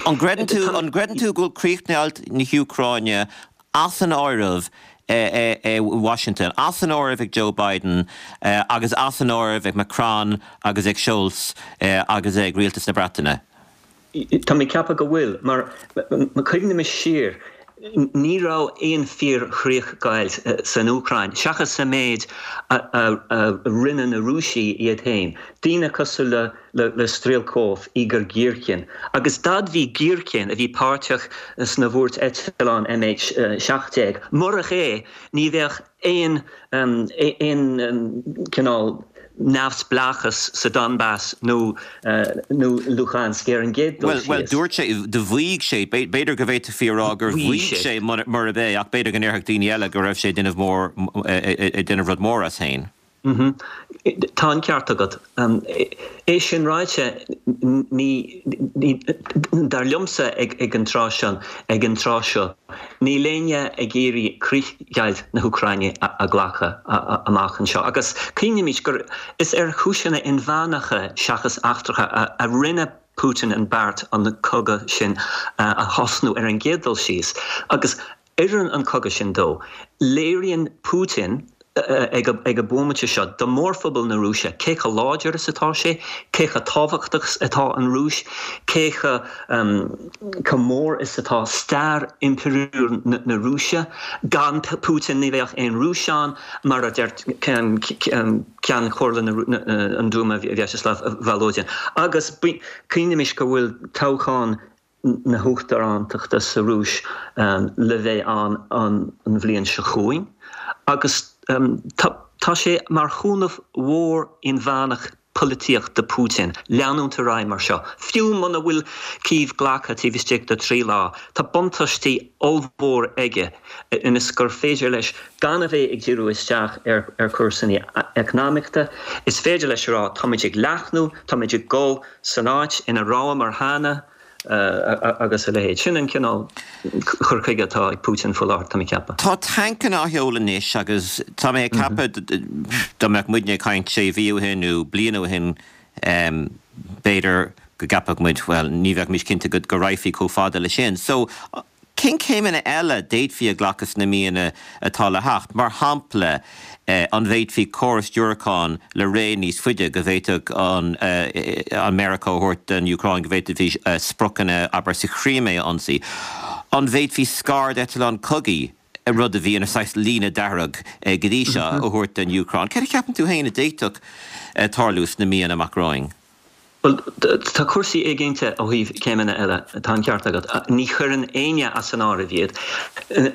An gcreideann tú, an gcreideann tú go bhfuil críochdheighilt na hÚcráine as an áireamh i Washington, as an áireamh ag Joe Biden agus as an áireamh ag Macron agus ag Scholz agus ag rialtas na Breataine? Tá mé ag ceapadh go bhfuil, mar má chuimhnímis siar, ní raibh aon fíor-chríochdheighilt san Úcráin, seachas sa méid a rinne na Rúisigh iad féin, daoine cosúil le le Strelkov, Igor Girkin, agus d'admhaigh Girkin, a bhí páirteach sna bhuairt eitleán M H seacht déag, murach é ní bheadh aon aon cineál neamhspleáchas sa Donbass nó nó Luhansk ar an gcéad dul síos. Bhuel, dúirt sé, do mhaígh sé, b'fhéidir go bhféadfaí a rá gur mhaígh sé murab é, ach b'fhéidir go ndéarfadh daoine eile go raibh sé ag déanamh mór, ag déanamh rud mór as féin. Tá an ceart agat. É sin ráite, ní, dar liomsa ag an tráth seo, ag an tráth seo, níl éinne ag iarraidh críochdheighilt na hÚcráine a ghlacadh amach anseo. Agus cuimhnímis gur is ar chúiseanna inmheánacha seachas eachtracha a rinne Putin an beart an cogadh sin a thosnú ar an gcéad dul síos. Agus oireann an cogadh sin dó. Léiríonn Putin ag an bhomaite seo do mhórphobal na Rúise cé chomh láidir is atá sé, cé chomh tábhachtach is atá an Rúis, cé chomh mór is atá stair impiriúil na Rúise. Gan Putin ní bheadh aon Rúis ann, mar a deir Ceann Chomhairle an Duma Vyacheslav Volodin. Agus cuimhnímis go bhfuil toghchán na huachtarántachta sa Rúis le bheith ann an bhliain seo chugainn agus tá sé mar chúnamh mhór inmheánach polaitíocht do Putin leanúint ar aghaidh mar seo. Fiú muna bhfuil Cív glactha taobh istigh de trí lá, tá buntáistí ollmhór aige ionas gur féidir leis gan a bheith ag díriú isteach ar chúrsaí eacnamaíochta. Is féidir leis a rá, táimid ag leathnú, táimid ag dul san áit ina rabhamar cheana, agus a leithéid. Sin an cineál cur chuige atá ag Putin faoi láthair, tá mé ag ceapadh. Tá tancanna á sheoladh anois agus tá mé ag ceapadh dá mbeadh muidne ag caint sé mhí ó shin nó bliain ó shin, b'fhéidir go gceapfadh muid, bhuel, ní bheadh cinnte go raghfaí chomh fada leis sin. So, cén céimeanna eile d'fhéadfaí a ghlacadh sna míonna atá le theacht? Mar shampla, an bhféadfaí córas diúracán le ré níos faide go bhféadfadh an Meiriceá a thabhairt don Úcráin, go bhféadfaí spriocanna, abair, sa Chrímé a ionsaí? An bhféadfaí scairdeitleán cogaidh, rud a bhí ina saghas líne dearg go dtí seo, a thabhairt don Úcráin? Céard a cheapann tú féin a d'fhéadfadh tarlú sna míonna amach romhainn? Bhuel, tá cúrsaí éiginnte ó thaobh céimeanna eile, tá an ceart agat. Ní chuireann éinne as an áireamh iad,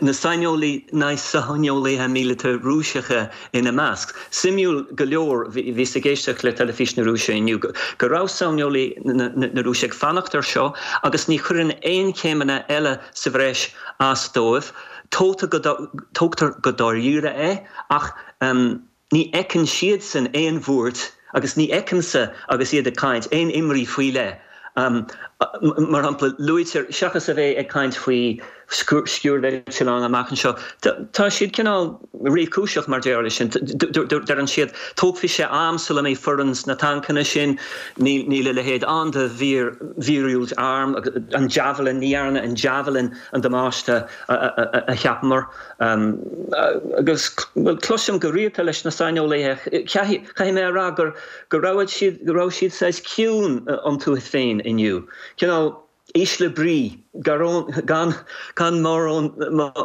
na saineolaí, na saineolaithe míleata Rúiseacha ina measc. Suimiúil go leor, bhíos ag éisteacht le teilifís na Rúise inniu, go raibh saineolaí na Rúise ag fanacht air seo agus ní chuireann aon chéimeanna eile sa bhreis as dóibh. Tógtar go dáiríre é ach ní fheiceann siadsan aon bhuairt Agus ní fheicimse, agus iad ag caint, aon imní faoi leith. Mar shampla, luaitear, seachas a bheith ag caint faoi sciúrdeitleáin amach anseo, tá siad cineál réchúiseach mar déarfá leis sin. Deireann siad, tógfaidh sé am sula mbeidh foireann sna tancanna sin, níl a leithéid ann de mhíorúilt airm, an Javelin, ní dhearna an Javelin an damáiste a cheapamar. Agus, bhuel, cloisim go rialta leis na saineolaithe, caithfidh mé a rá gur, go raibh siad, go raibh siad saghas ciúin iontu féin inniu. Cineál ísle brí, gan, gan mórán,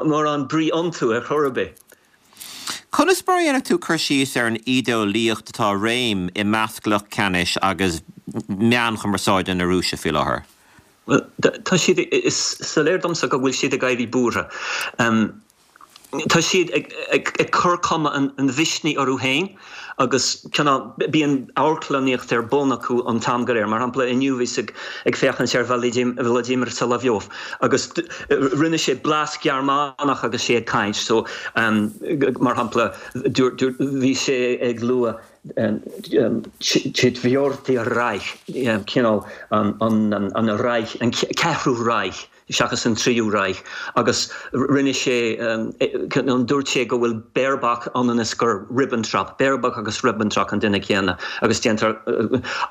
mórán brí iontu ar chor ar bith. Conas mar a dhéanfadh tú cur síos ar an ídeolaíocht atá i réim i measc lucht ceannais agus meáin chumarsáide na Rúise faoi láthair? Bhuel, tá siad, is soiléir domsa go bhfuil siad ag éirí buartha. Tá siad ag cur cuma an mhisnigh orthu féin agus cineál bíonn amharclannaíocht ar bun acu an t-am go léir. Mar shampla, inniu bhíos ag féachaint ar Vladimir Solovyov agus rinne sé blas Gearmánach agus sé ag caint. So, mar shampla, bhí sé ag lua Четвёртый Reich, cineál an Reich, an ceathrú Reich seachas an tríú Reich, agus rinne sé, dúirt sé go bhfuil Baerbock ionann is gur Ribbentrop, Baerbock agus Ribbentrop an duine céanna, agus déantar,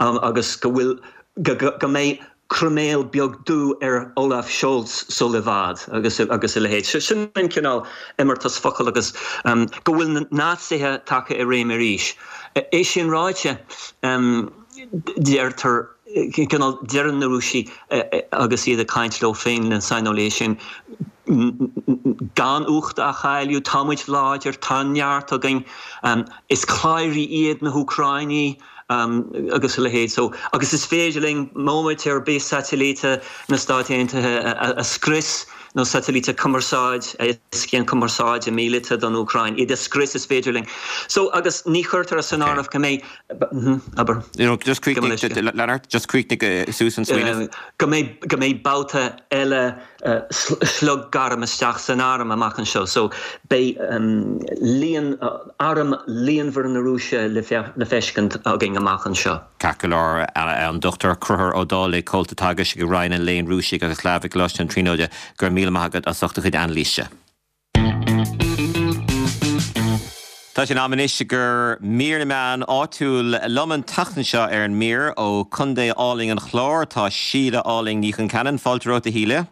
agus go bhfuil, go mbeidh croiméal beag dubh ar Olaf Scholz sul i bhfad agus agus a leithéid. Sin an cineál imeartas focal agus go bhfuil na Naitsithe tagtha i réim arís. É sin ráite, deirtear, cineál, deireann na Rúisigh agus iad ag caint leo féin, na saineolaithe sin, gan ucht a chailleadh, tá muid láidir, tá neart againn, is cladhairí iad na hÚcráinigh, agus a leithéid. So, agus is féidir linn móimint ar bith satailíte na Stát Aontaithe a scrios, nó satailíte cumarsáid, a éascaíonn cumarsáid míleata don Úcráin, iad a scrios is féidir linn. So, agus ní chuirtear san áireamh go mbeidh, abair. You know, just críochnaigh, Leonard, just críochnaigh suas an smaoineamh. Go mbeidh, go mbeidh babhta eile sliogarm isteach san arm amach anseo. So, beidh líon, arm líonmhar na Rúise le feiscint againn amach anseo. Ceart go leor, an Dochtúir Conchúr Ó Dálaigh, Comhalta Teagaisc i Roinn an Léinn Rúisigh agus Shlavaigh i gColáiste na Tríonóide, go raibh míle maith agat as ucht do chuid anailíse. Tá sé in am anois do mhír na meán áitiúil. Liom an tseachtain seo ar an mír ó Chontae álainn an Chláir tá Síle álainn Ní Chonceanainn. Fáilte romhat a Shíle.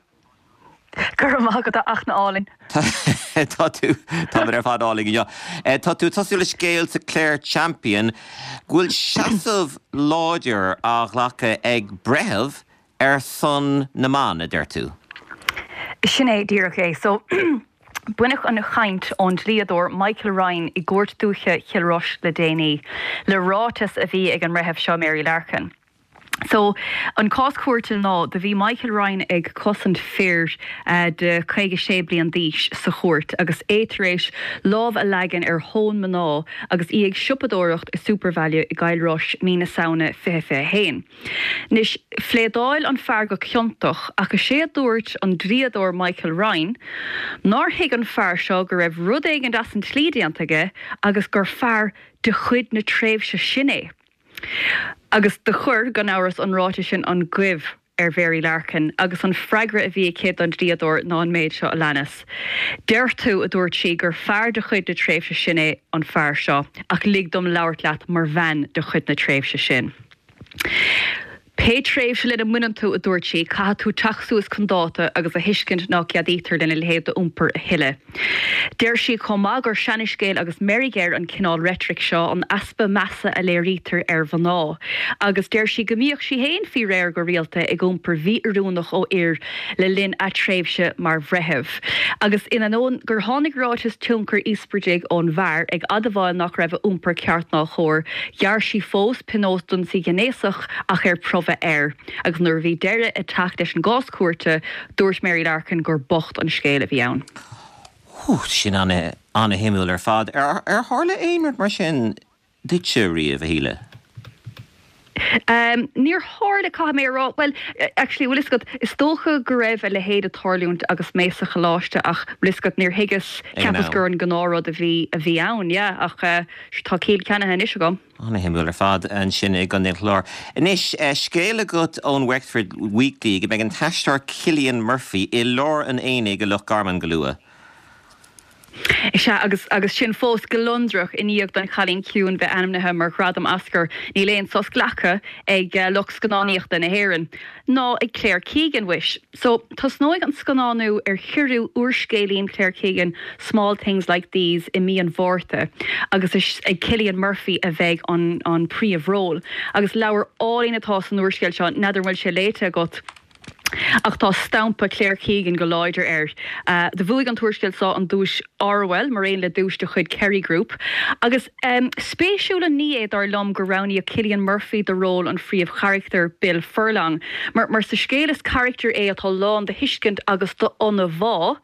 Go raibh maith agat a Fhachtna álainn. Tá tú, táimid ar fad álainn inniu. Tá tú ag tosú le scéal sa Clare Champion go bhfuil seasamh láidir á ghlacadh ag breitheamh ar son na mban, a deir tú. Sin é díreach é. So, baineadh an chaint ón dlíodóir Michael Ryan i gCúirt Dúiche Chill Rois le déanaí, le ráiteas a bhí ag an mbreitheamh seo Mary Larkin. So, an cás cúirte ná, do bhí Michael Ryan ag cosaint fir de caoga sé bliain d'aois sa chúirt agus é tar éis lámh a leagan ar thóin mná agus í ag siopadóireacht i Supervalu i gCill Rois mí na Samhna fiche fiche haon. Anois, phléadáil an fear go ciontach ach is é a dúirt an dlíodóir Michael Ryan nár thuig an fear seo go raibh rud éigin as an tslí déanta aige agus gur fear de chuid na tréimhse sin é. Agus do chuir, gan amhras, an ráiteas sin an goimh ar Mhary Larkin agus an freagra a bhí aici don dlíodóir ná an méid seo a leanas. Deir tú, a dúirt sí, gur fear de chuid na tréimhse sin é an fear seo, ach lig dom labhairt leat mar bhean de chuid na tréimhse sin. Pé tréimhse lena mbaineann tú, a dúirt sí, caithfidh tú teacht suas chun dáta agus a thuiscint ná ceadaítear lena leithéid d'iompar a thuilleadh. Deir sí chomh maith gur seanscéal agus meirg air an cineál reitric seo, an easpa measa a léirítear ar mhná. Agus deir sí go mbíodh sí féin faoi réir go rialta ag iompar mhí-oiriúnach ó fhir le linn a tréimhse mar bhreitheamh. Agus in ainneoin gur tháinig ráiteas tionchair íospartaigh ón bhfear ag admháil nach raibh a iompar ceart ná cóir, ghearr sí fós pionós d'ionsaí gnéasach ach ar promhadh air. Agus nuair a bhí deireadh ag teacht leis an gcás cúirte, dúirt Mary Larkin gur bocht an scéal a bhí ann. Hú, sin ana-shuimiúil ar fad. Ar tharla aon rud mar sin duitse riamh, a Shíle? Níor tharla, caithfidh mé a rá. Bhuel, actually, bhfuil fhios agat, is dócha go raibh a leithéid ag tarlúint agus mé sa choláiste ach, bhfuil fhios agat, níor thuigeas, cheapas gur an gnáthrud a bhí, a bhí ann, yeah, ach tá ciall ceannaithe anois agam. Ana-shuimiúil ar fad ansin i gContae an Chláir. Anois, scéal agat ón Wexford Weekly go mbeidh an t-aisteoir Cillian Murphy i lár an aonaigh i Loch Garman go luath. Is ea, agus agus sin fós gliondrach i ndiaidh don Chailín Ciúin bheith ainmnithe mar ghradam Oscar, níl aon sos glactha ag lucht scannánaíochta na hÉireann. Ná ag Claire Keegan, mhuis. So, tosnóidh an scannánú ar thríú úrscéilín Claire Keegan, Small Things Like These, i mí an Mhárta, agus is ag Cillian Murphy a bheidh an an príomhról. Agus leabhar álainn atá san úrscéal seo, n'fheadar an bhfuil sé léite agat? Ach tá stampa Claire Keegan go láidir air. Do bhuaigh an t-úrscéal seo an duais Orwell mar aon le duais de chuid Kerry Group. Agus spéisiúil an ní é dar liom gur roghnaíodh Cillian Murphy do ról an phríomhcharachtair Bill Furlong. Mar mar sa scéal is carachtar é atá lán de thuiscint agus d'ionbhá.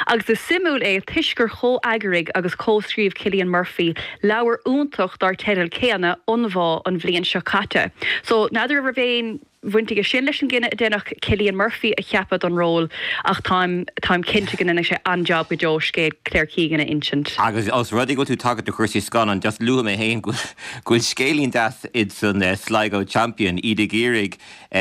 Agus is suimiúil é toisc gur chomheagraigh agus chomhscríobh Cillian Murphy leabhar iontach dar teideal céanna, Ionbhá, an bhliain seo caite. So n'fheadar an raibh aon bhaint aige sin leis an gcinneadh a deineadh Cillian Murphy a cheapadh don ról ach táim táim cinnte go ndéanfaidh sé an-jab go deo scéal Claire Keegan a insint. Agus os rud é go bhfuil tú ag tagairt do chúrsaí scannán, just luafaidh mé féin go bhfuil scéilín deas insan Sligo Champion, iad ag iarraidh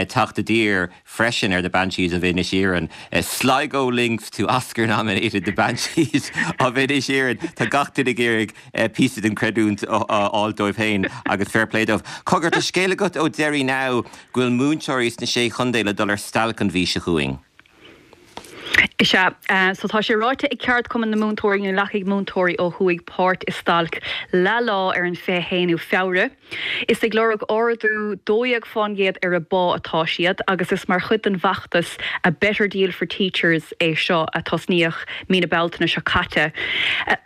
teacht i dtír freisin ar The Banshees of Inisherin. Sligo links to Oscar-nominated The Banshees of Inisherin. Tá gach duine ag iarraidh píosa den chreidiúint a fháil dóibh féin agus fair play dóibh. Cogar, tá scéal agat ó Derry Now go bhfuil múinteoirí sna Sé Chontae le dul ar stailc an mhí seo chugainn. Is ea. So tá sé ráite ag Ceardchumann na Múinteoirí go nglacfaidh múinteoirí ó thuaidh páirt i stailc leathlá ar an fiche haonú Feabhra. Is ag lorg ardú dó dhéag fán gcéad ar a bpá atá siad agus is mar chuid den bhfeachtas A Better Deal for Teachers é seo a tosnaíodh mí na Bealtaine seo caite.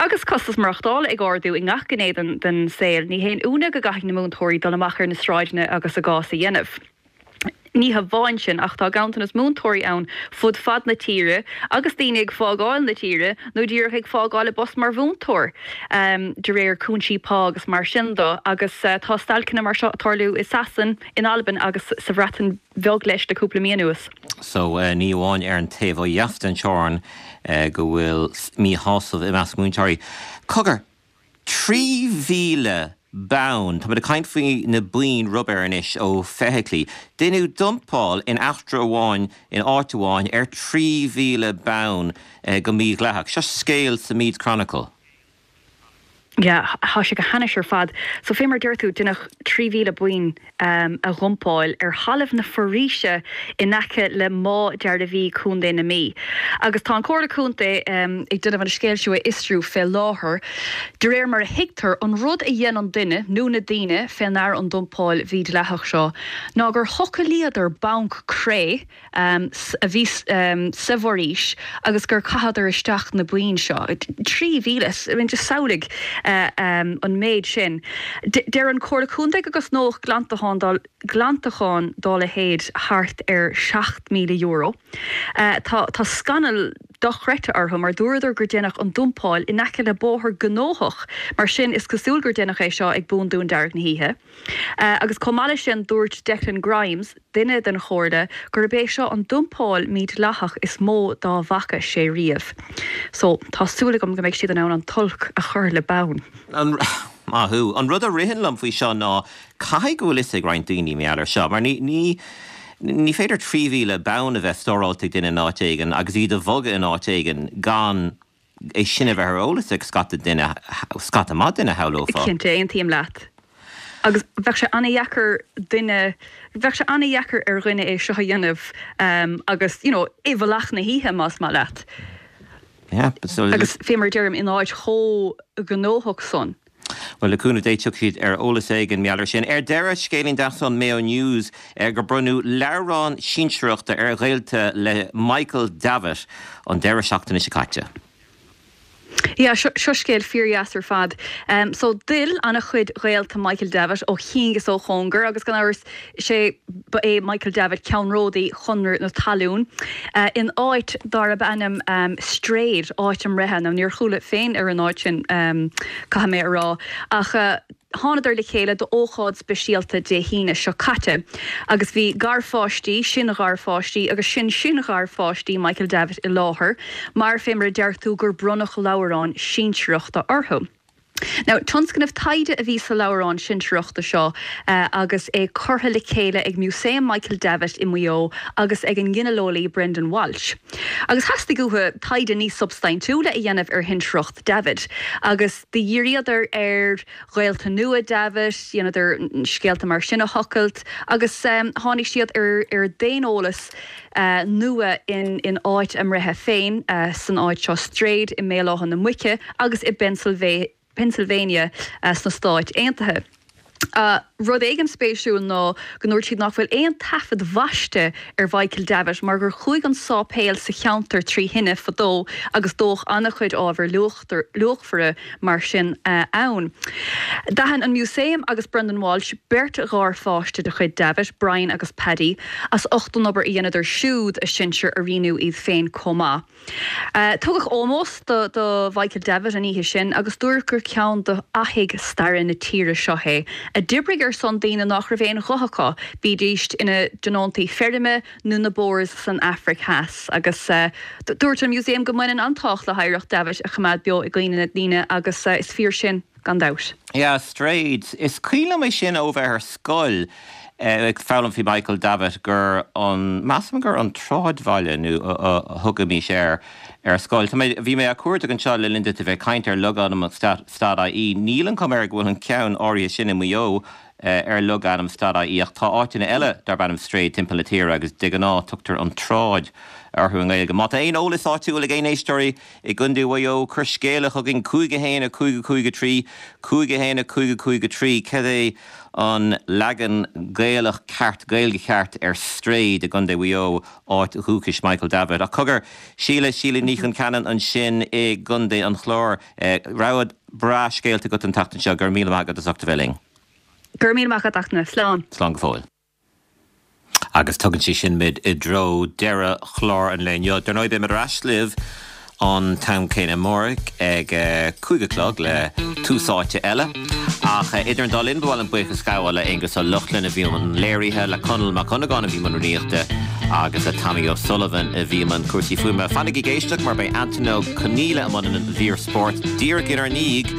Agus costas maireachtála ag ardú i ngach gné den saol, ní haon ionadh go gcaithfidh na múinteoirí dul amach ar na sráideanna agus a gcás a dhéanamh. Ní hamháin sin, ach tá ganntanas múinteoirí ann fud fad na tíre agus daoine ag fágáil na tíre nó díreach ag fágáil a bpost mar mhúinteoir de réir cúinsí pá agus mar sin de agus tá stailceanna mar seo ag tarlú i Sasain, in Albain agus sa Bhreatain Bheag leis le cúpla mí anuas. So ní amháin ar an taobh ó dheas den teorainn go bhfuil míshásamh i measc múinteoirí. Cogar, trí mhíle bonn, táimid ag caint faoi na boinn rubair anois ó feithiclí. Deineadh dumpáil in eachtra amháin in áit amháin ar trí mhíle bonn go mídhleathach. Seo scéal sa Meath Chronicle. Yeah, tá sé go hainnis ar fad. So fé mar deir tú, deineadh trí mhíle boinn a dhumpáil ar thalamh na foraoise in aice le Má Dearbhaí, Contae na Mí. Agus tá an Comhairle Contae ag déanamh an scéal seo a fhiosrú fé láthair. De réir mar a thuigtear, an rud a dhein an duine, nó na daoine, fé ndear an dumpáil mhídhleathach seo ná gur thochailíodar banc cré a bhí sa bhforaois agus gur chaitheadar isteach na boinn seo. Trí mhíle, I mean just samhlaigh an méid sin. Deir an Chomhairle Contae go gcosnódh glantachán dá glantachán dá leithéid thart ar seacht míle euro. Tá tá scannal dochreidte orthu mar dúradar gur deineadh an dumpáil in aice le bóthar gnóthach, mar sin is cosúil gur deineadh é seo ag búndún dearg na hoíche. Agus chomh maith leis sin dúirt Declan Grimes, duine den chomhairle, gurb é seo an dumpáil mídhleathach is mó dá bhfaca sé riamh. So, tá súil agam go mbeidh siad in ann an t-olc a chur le bonn. An, maith thú. An rud a ritheann liom faoi seo ná caithfidh go bhfuil fhios ag roinnt daoine mar gheall air seo, mar ní, ní, ní féidir trí mhíle bonn a bheith stóráilte ag duine in áit éigin agus iad a bhogadh in áit éigin gan é sin a bheith ar eolas ag scata duine, scata maith duine, shamhlófá. Cinnte, aontaím leat. Agus bheadh sé an-dheacair duine, bheadh sé an-dheacair ar dhuine é seo a dhéanamh agus, you know, i bhfolach na hoíche, más maith leat. Yeah, but so. Agus fé mar a deirim, in áit chomh gnóthach san. Bhuel, le cúnamh Dé tiocfaidh siad ar eolas éigin mar gheall air sin. Ar deireadh, scéilín deas ón Mayo News gur bronnadh leabhrán sinsearachta ar ghaolta le Michael Davitt an deireadh seachtaine seo caite. Yeah, seo scéal fíordheas ar fad. So d'fhill an-chuid ghaolta Michael Davitt ó chian is ó chóngar agus gan amhras sé ba é Michael Davitt ceannródaí Chonradh na Talún in áit darb ainm Straid, áit a mbreithe. Now níor chuala féin ar an áit sin caithfidh mé a rá ach Thánadar le chéile d'ócáid speisialta Dé hAoine seo caite agus bhí garpháistí, sin-gharpháistí agus sin-sin-gharpháistí Michael Davitt i láthair mar, fé mar a deir tú, gur bronnadh leabhrán sinsearachta orthu. Now, tionscnamh taighde a bhí sa leabhrán sinsearachta seo agus é curtha le chéile ag Músaem Michael Davitt i Maigh Eo agus ag an nginealeolaí Brendan Walsh. Agus theastaigh uathu taighde níos substaintiúla a dhéanamh ar shinsearacht Davitt agus do dhíríodar ar ghaolta nua Davitt, dheineadar scéalta mar sin a thochailt agus tháinig siad ar ar daoneolas nua in in áit a mbreithe féin, san áit seo Straid i mBéal Átha na Muice agus i bPennsylvania sna Stáit Aontaithe. Rud éigin spéisiúil ná go ndúirt siad nach bhfuil aon taifead baiste ar Mhichael Davitt mar gur chuaigh an sáipéal sa cheantar trí thine fadó agus dódh an-chuid ábhar luachmhara mar sin ann. D'aithin an Músaem agus Brendan Walsh beirt gharpháiste de chuid Davitt, Brian agus Paddy, as ucht an obair a dheineadar siúd a sinsir a rianú iad féin chomh maith. Tugadh ómós do do Mhichael Davitt an oíche sin agus dúradh gur ceann de fhathaigh staire na tíre seo é, a d'oibrigh ar son daoine nach raibh aon ghuth acu, bídís ina dtionóntaí feirme nó na Boers san Afraic Theas. Agus dúirt an Museum go mbaineann an tábhacht le hoidhreacht Davitt a choimeád beo i gcuimhne na ndaoine agus is fíor sin gan dabht. Yeah, Straid. Is cuimhin liom é sin ó bheith ar scoil ag foghlaim faoi Michael Davitt gur an, measaim gur an tSráidbhaile nó a thugaimis air ar scoil. Tá mé, bhí mé á cuardach anseo le linn duit a bheith ag caint ar logainm stat ie. Níl an chuma air go bhfuil an ceann áirithe sin i Maigh Eo ar logainm stat ie ach tá áiteanna eile darb ainm Straid timpeall na tíre agus de ghnáth tugtar an tSráid orthu i nGaeilge. Má tá aon eolas áitiúil ag aon éisteoirí i gContae Mhaigh Eo, cuir scéala chugainn cúig a haon a cúig a cúig a trí, cúig a haon a cúig a cúig a trí. Cad é an leagan Gaelach ceart, Gaeilge ceart ar Straid i gContae Mhaigh Eo, áit dhúchais Michael Davitt? Ach cogar, Síle, Síle Ní Chonceanainn ansin i gContae an Chláir. Rogha breá scéalta agat an tseachtain seo. Go raibh míle maith agat as ucht a bheith linn. Go raibh míle maith agat, a Fhachtna. Slán. Slán go fóill. Agus tugann sé sin muid i dtreo deireadh chlár an lae inniu. Dar ndóigh, beimid ar ais libh an t-am céanna amárach ag cúig a chlog le Tús Áite eile. Ach idir an dá linn, ba mhaith liom buíochas a ghabháil le Aonghus Ó Lochlainn a bhí i mbun léirithe, le Conall Mac Dhonnagáin a bhí i mbun rúnaíochta agus le Tommy O'Sullivan a bhí i mbun cúrsaí fuaime. Fanaigí ag éisteacht mar beidh Antain Ó Conghaile i mbun an mhír spóirt díreach inár ndiaidh.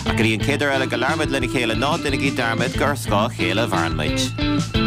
Ach go dtí an chéad uair eile go labhraímid lena chéile, ná déanaigí dearmad gur ar scáth a chéile a mhaireann muid.